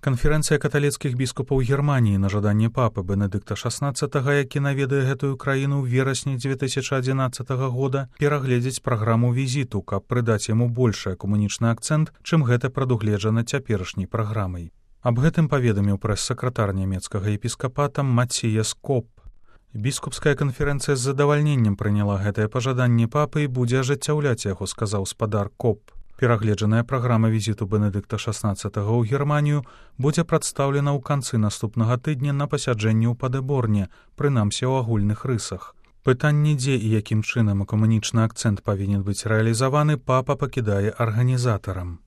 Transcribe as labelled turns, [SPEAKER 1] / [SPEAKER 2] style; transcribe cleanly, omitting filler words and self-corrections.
[SPEAKER 1] Канферэнцыя каталіцкіх біскупаў Германіі на жаданне папы Бенедыкта XVI, які наведае гэтую краіну ў верасні 2011 года, перагледзець праграму візіту, каб прыдаць яму большы экумэнічны акцэнт, чым гэта прадугледжана цяперашняй праграмай. Аб гэтым паведаміў прэс-сакратар нямецкага епіскапата Мацціяс Коп. Біскупская канферэнцыя з задавальненнем прыняла гэтае пажаданне папы і будзе ажыццяўляць яго, сказаў спадар Коп. Перагледжаная праграма візіту Бенедыкта XVI ў Германію будзе прадстаўлена ў канцы наступнага тыдня на пасяджэнні ў Падэборне, прынамсі ў агульных рысах. Пытанне, дзе і якім чынам экумэнічны акцэнт павінен быць рэалізаваны, папа пакідае арганізатарам.